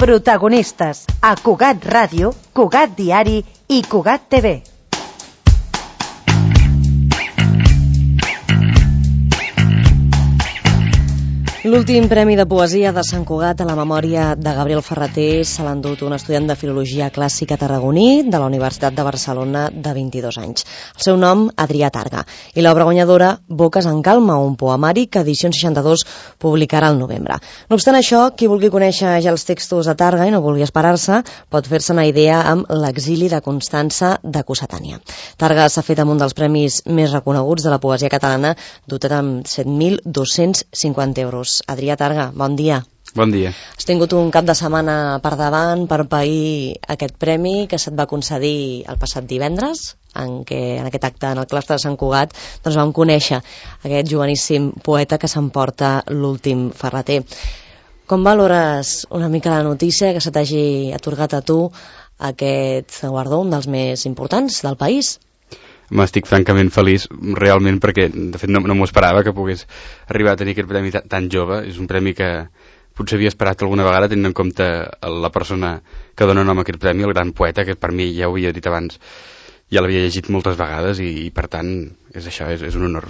Protagonistes a Cugat Ràdio, Cugat Diari i Cugat TV. L'últim Premi de Poesia de Sant Cugat a la memòria de Gabriel Ferrater se l'ha endut un estudiant de Filologia Clàssica tarragoní de la Universitat de Barcelona de 22 anys. El seu nom, Adrià Targa, i l'obra guanyadora, Boques en calma, un poemari que Edicions 62 publicarà al novembre. No obstant això, qui vulgui conèixer ja els textos de Targa i no vulgui esperar-se, pot fer-se una idea amb L'exili de Constança de Cossetània. Targa s'ha fet amb un dels premis més reconeguts de la poesia catalana, dotat amb 7.250 euros. Adrià Targa, bon dia. Bon dia. Has tingut un cap de setmana per davant per pair aquest premi que se't va concedir el passat divendres, en aquest acte en el claustre de Sant Cugat doncs vam conèixer aquest joveníssim poeta que s'emporta l'últim Ferrater. Com valores una mica la notícia que se t'hagi atorgat a tu aquest guardó, un dels més importants del país? M'estic francament feliç, realment, perquè de fet no m'ho esperava que pogués arribar a tenir aquest premi tan jove. És un premi que potser havia esperat alguna vegada, tenint en compte la persona que dona nom a aquest premi, el gran poeta, que per mi, ja ho havia dit abans, ja l'havia llegit moltes vegades i per tant, és això, és un honor.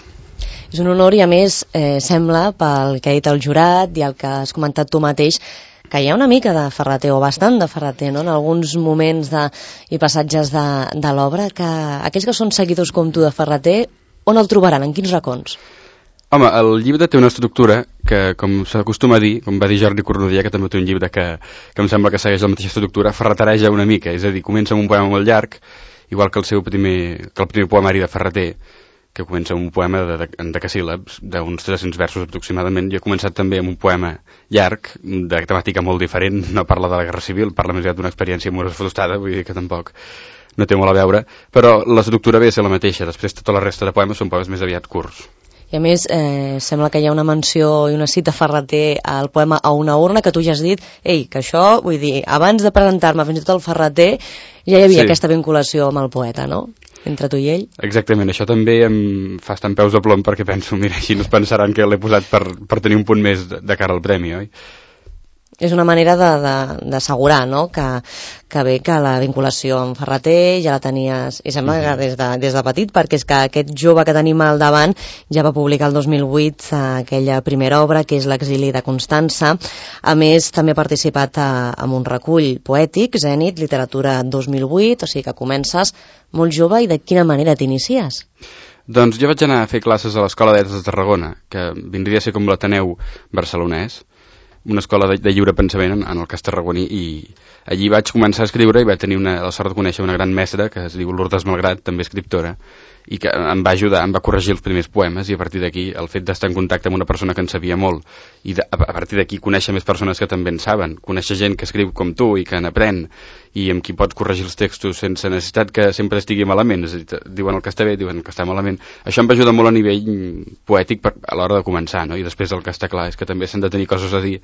És un honor i a més sembla, pel que ha dit el jurat i el que has comentat tu mateix, que hi ha una mica de Ferrater, o bastant de Ferrater, no? En alguns moments i passatges de l'obra, que aquells que són seguidors com tu de Ferrater, on el trobaran? En quins racons? Home, el llibre té una estructura que, com s'acostuma a dir, com va dir Jordi Cornudella, que també té un llibre que em sembla que segueix la mateixa estructura, ferratereja una mica, és a dir, comença amb un poema molt llarg, igual que el primer poemari de Ferrater, que comença amb un poema en decasíl·labs, d'uns 300 versos aproximadament. Jo he començat també amb un poema llarg, de temàtica molt diferent, no parla de la Guerra Civil, parla més aviat d'una experiència amorosa frustrada, vull dir que tampoc no té molt a veure, però l'estructura ve a ser la mateixa, després tota la resta de poemes són poemes més aviat curts. I a més, sembla que hi ha una menció i una cita Ferrater al poema A una urna, que tu ja has dit, que això, vull dir, abans de presentar-me fins i tot el Ferrater, ja hi havia aquesta vinculació amb el poeta, no?, entre tu i ell. Exactament, això també em fa estar en peus de plom perquè penso, mira, així no es pensaran que l'he posat per tenir un punt més de cara al premi, oi? És una manera d'assegurar, no?, que bé que la vinculació amb Ferrater ja la tenies, i sembla que des de petit, perquè és que aquest jove que tenim al davant ja va publicar el 2008 aquella primera obra, que és L'exili de Constança. A més, també ha participat en un recull poètic, Zènit, Literatura 2008, o sigui que comences molt jove. I de quina manera t'inicies? Doncs jo vaig anar a fer classes a l'Escola de Lletres de Tarragona, que vindria a ser com l'Ateneu barcelonès, una escola de lliure pensament en el cas tarragoní, i allí vaig començar a escriure i vaig tenir la sort de conèixer una gran mestra que es diu Lourdes Malgrat, també escriptora, i que em va ajudar, em va corregir els primers poemes, i a partir d'aquí el fet d'estar en contacte amb una persona que en sabia molt i a partir d'aquí conèixer més persones que també en saben, conèixer gent que escriu com tu i que n'aprèn i amb qui pots corregir els textos sense necessitat que sempre estigui malament, és a dir, diuen el que està bé, diuen que està malament. Això em va ajudar molt a nivell poètic a l'hora de començar, no? I després el que està clar és que també s'han de tenir coses a dir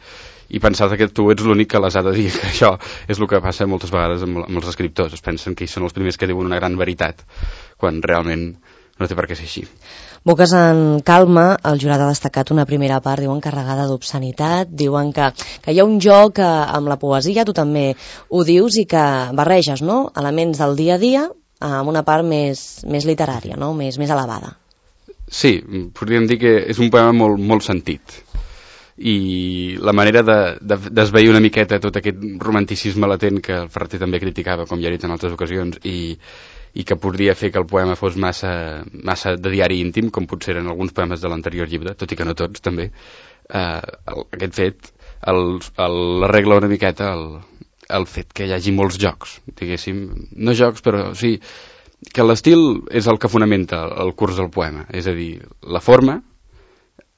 i pensar que tu ets l'únic que les ha de dir, que això és el que passa moltes vegades amb els escriptors, es pensen que ells són els primers que diuen una gran veritat, quan realment no té per què ser així. Boques en calma, el jurat ha destacat una primera part, diuen, carregada d'obscenitat, diuen que hi ha un joc amb la poesia, tu també ho dius, i que barreges, no?, elements del dia a dia amb una part més literària, no?, més elevada. Sí, podríem dir que és un poema molt sentit, i la manera d'esvair una miqueta tot aquest romanticisme latent que el Ferrater també criticava, com ja he dit en altres ocasions, i que podria fer que el poema fos massa de diari íntim, com potser eren alguns poemes de l'anterior llibre, tot i que no tots, també. Aquest fet l'arregla una miqueta el fet que hi hagi molts jocs, diguéssim, no jocs, però sí, que l'estil és el que fonamenta el curs del poema, és a dir, la forma,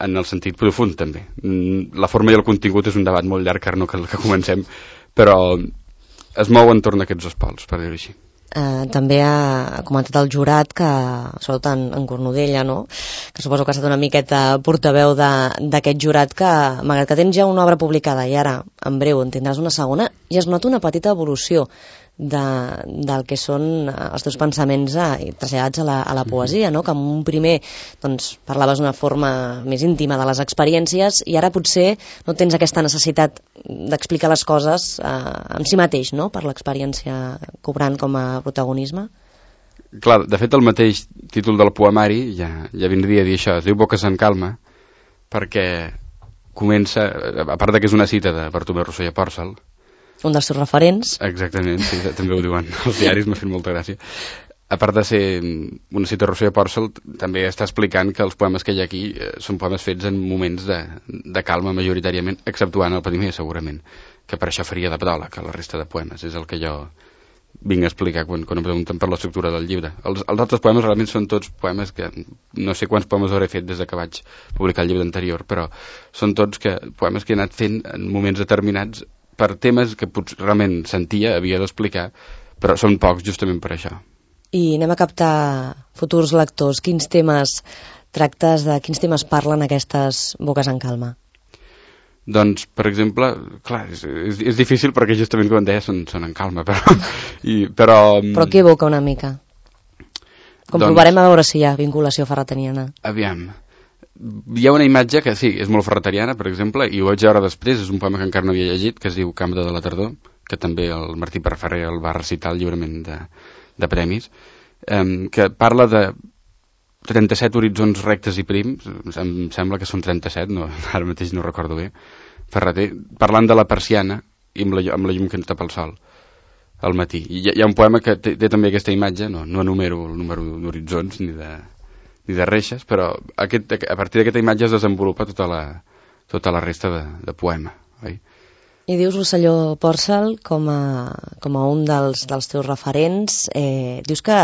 en el sentit profund també. La forma i el contingut és un debat molt llarg, no cal que comencem, però es mou entorn d'aquests dos pols, per dir-ho així. També ha comentat el jurat que, sobretot en Cornudella, no?, que suposo que ha estat una miqueta portaveu d'aquest jurat, que malgrat que tens ja una obra publicada i ara en breu en tindràs una segona, ja es nota una petita evolució del que són els teus pensaments traslladats a la poesia, no? Que en un primer doncs, parlaves d'una forma més íntima de les experiències i ara potser no tens aquesta necessitat d'explicar les coses en si mateix, no? Per l'experiència cobrant com a protagonisme. Clar, de fet el mateix títol del poemari ja vindria a dir això, es diu Boques en calma, perquè comença, a part que és una cita de Bartomeu Rosselló Pòrcel, un dels seus referents. Exactament, sí, també ho diuen els diaris, m'ha fet molta gràcia. A part de ser una cita de Rosselló Pòrcel, també està explicant que els poemes que hi ha aquí són poemes fets en moments de calma majoritàriament, exceptuant el primer, segurament, que per això faria de pedòleg a la resta de poemes, és el que jo vinc a explicar quan em pregunten per l'estructura del llibre. Els altres poemes realment són tots poemes que no sé quants poemes hauré fet des que vaig publicar el llibre anterior, però són tots poemes que he anat fent en moments determinats per temes que potser realment sentia, havia d'explicar, però són pocs justament per això. I anem a captar futurs lectors. Quins temes tractes, de quins temes parlen aquestes Boques en calma? Doncs, per exemple, clar, és difícil perquè justament, com deia, són en calma, però què evoca una mica? Comprovarem a veure si hi ha vinculació ferretaniana. Aviam. Hi ha una imatge que sí, és molt ferretariana, per exemple, i ho vaig veure després, és un poema que encara no havia llegit, que es diu Cambra de la tardor, que també el Martí Perferrer el va recitar al lliurament de premis, que parla de 37 horitzons rectes i prims, em sembla que són 37, no, ara mateix no recordo bé, Ferreter, parlant de la persiana i amb la llum que ens tapa el sol al matí. I hi ha un poema que té també aquesta imatge, no enumero el número d'horitzons ni de reixes, però a partir d'aquesta imatge es desenvolupa tota la resta de poema, oi? I dius Rosselló Pòrcel com a un dels teus referents, dius que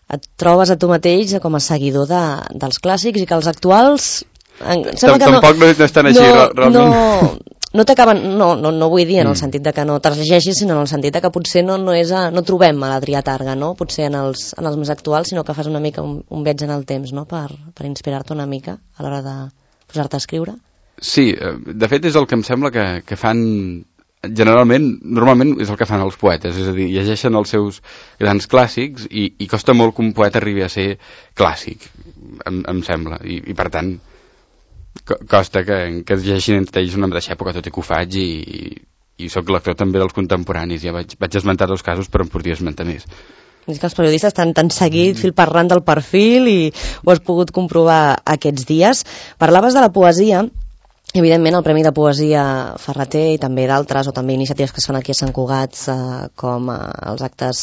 et trobes a tu mateix com a seguidor dels clàssics i que els actuals tampoc no estan així realment. No t'acaben, no vull dir en el sentit de que no te'ls llegeixis, sinó en el sentit de que potser no trobem a l'Adrià Targa, no? Potser en els més actuals, sinó que fas una mica un viatge en el temps, no? Per inspirar-te una mica a l'hora de posar-te a escriure. Sí, de fet és el que em sembla que fan normalment és el que fan els poetes, és a dir, llegeixen els seus grans clàssics i costa molt que un poeta arribi a ser clàssic, em sembla, i per tant costa que es llegeixin entre ells una mateixa època, tot i que ho faig i sóc lector també dels contemporanis, ja vaig esmentar 2 casos però en podria esmentar més. És que els periodistes estan seguit fil per ran del perfil i ho has pogut comprovar aquests dies. Parlaves de la poesia. Evidentment el Premi de Poesia Ferreter i també d'altres, o també iniciatives que es fan aquí a Sant Cugat, com els actes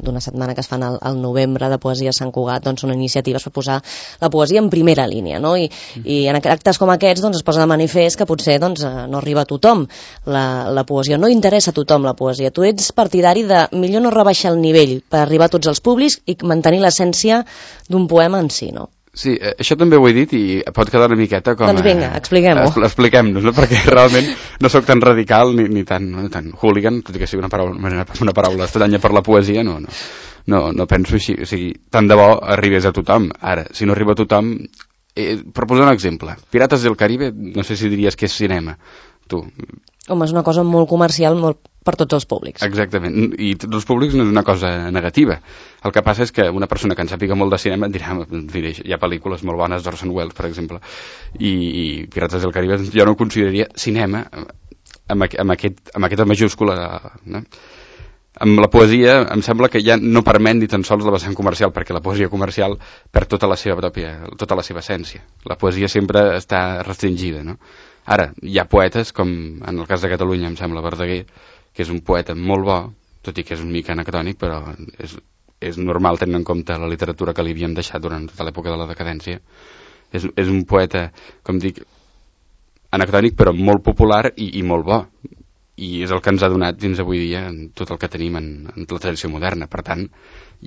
d'una setmana que es fan al novembre de Poesia a Sant Cugat, doncs són iniciatives per posar la poesia en primera línia, no? I en actes com aquests doncs, es posa de manifest que potser doncs, no arriba a tothom la poesia, no interessa a tothom la poesia. Tu ets partidari de millor no rebaixar el nivell per arribar a tots els públics i mantenir l'essència d'un poema en si, no? Sí, això també ho he dit i pot quedar una miqueta com... Doncs vinga, expliquem-ho. Expliquem-nos, no? Perquè realment no sóc tan radical ni tan hooligan, tot i que sigui una paraula estranya per la poesia, no penso així. O sigui, tant de bo arribés a tothom. Ara, si no arriba a tothom... per posar un exemple, Pirates del Caribe, no sé si diries que és cinema, tu. Home, és una cosa molt comercial, molt per tots els públics. Exactament, i tots els públics no és una cosa negativa. El que passa és que una persona que en sàpiga molt de cinema et dirà, hi ha pel·lícules molt bones d'Orson Welles, per exemple, i Pirates del Caribe jo no ho consideraria cinema amb aquesta majúscula, no? Amb la poesia em sembla que ja no permet ni tan sols la vessant comercial, perquè la poesia comercial perd tota la seva essència. La poesia sempre està restringida, no? Ara, hi ha poetes, com en el cas de Catalunya, em sembla, Verdaguer, que és un poeta molt bo, tot i que és un mica anacrònic, però és normal tenint en compte la literatura que li havien deixat durant tota l'època de la decadència. És un poeta, com dic, anacrònic, però molt popular i molt bo. I és el que ens ha donat fins avui dia en tot el que tenim en la tradició moderna. Per tant,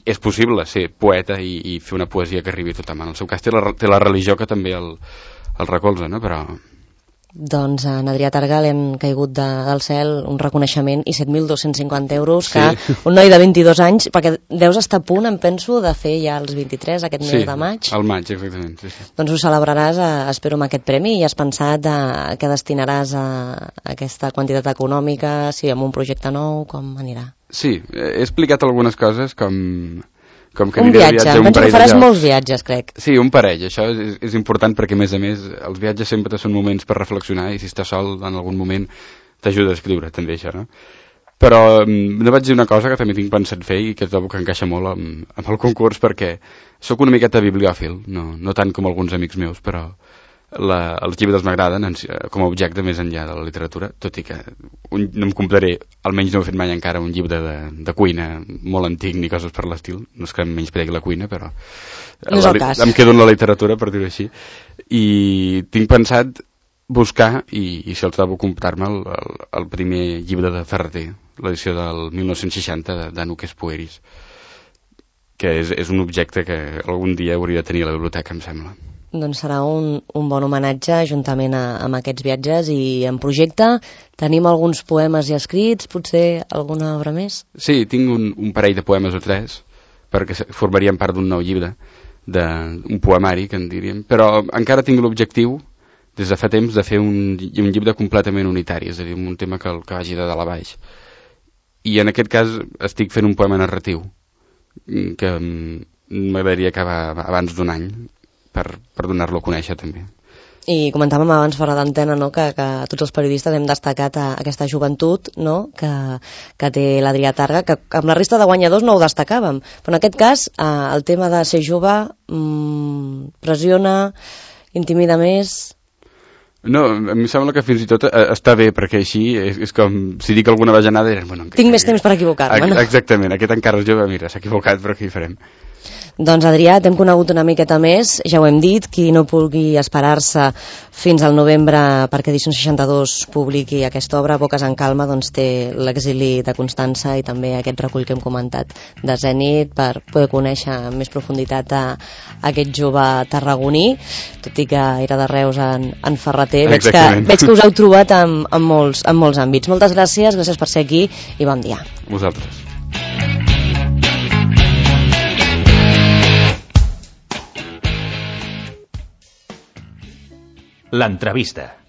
és possible ser poeta i fer una poesia que arribi a tothom. En el seu cas té la religió que també el recolza, no? Però... Doncs a Adrià Targa li han caigut del cel un reconeixement i 7.250 euros que un noi de 22 anys, perquè deus estar a punt, em penso, de fer ja els 23 aquest mes de maig. Sí, al maig, exactament. Sí. Doncs ho celebraràs, espero, amb aquest premi, i has pensat què destinaràs a aquesta quantitat econòmica, si amb un projecte nou, com anirà? Sí, he explicat algunes coses com que un viatge, penso que faràs molts viatges, crec. Sí, un parell, això és important perquè a més els viatges sempre són moments per reflexionar i si estàs sol en algun moment t'ajuda a escriure també això, no? Però no vaig dir una cosa que també tinc pensat fer i que trobo que encaixa molt amb el concurs perquè sóc una miqueta bibliòfil, no tant com alguns amics meus, però els llibres m'agraden com a objecte més enllà de la literatura, tot i que no em compraré, almenys no ho he fet mai encara, un llibre de cuina molt antic ni coses per l'estil, no és que em menyspregi la cuina, però no és el cas. Em quedo en la literatura, per dir-ho així, i tinc pensat buscar, i si el trobo, comprar-me el primer llibre de Ferrater, l'edició del 1960 d'Anuques Pueris, que és un objecte que algun dia hauria de tenir a la biblioteca, em sembla. Doncs serà un bon homenatge juntament amb aquests viatges. I en projecte tenim alguns poemes ja escrits, potser alguna obra més? Sí, tinc un parell de poemes o tres, perquè formarien part d'un nou llibre, un poemari, que en diríem, però encara tinc l'objectiu, des de fa temps, de fer un llibre completament unitari, és a dir, un tema que vagi de dalt a baix. I en aquest cas estic fent un poema narratiu, que m'agradaria acabar abans d'un any, per donar-lo a conèixer també. I comentàvem abans fora d'antena, no, que tots els periodistes hem destacat aquesta joventut, no, que té l'Adrià Targa, que amb la resta de guanyadors no ho destacàvem, però en aquest cas el tema de ser jove pressiona, intimida més. No, a mi sembla que fins i tot està bé, perquè així és com si dic alguna bajanada bueno, tinc més temps per equivocar-me, no? Exactament, aquest encara és jove, mira, s'ha equivocat, però què hi farem? Doncs Adrià, t'hem conegut una miqueta més, ja ho hem dit, qui no pugui esperar-se fins al novembre perquè Edicions 62 publiqui aquesta obra, Boques en calma, doncs té l'exili de Constança i també aquest recull que hem comentat de Zenit per poder conèixer amb més profunditat aquest jove tarragoní, tot i que era de Reus en Ferrater. Veig que us heu trobat en molts àmbits. Moltes gràcies per ser aquí i bon dia. Vosaltres. L'entrevista.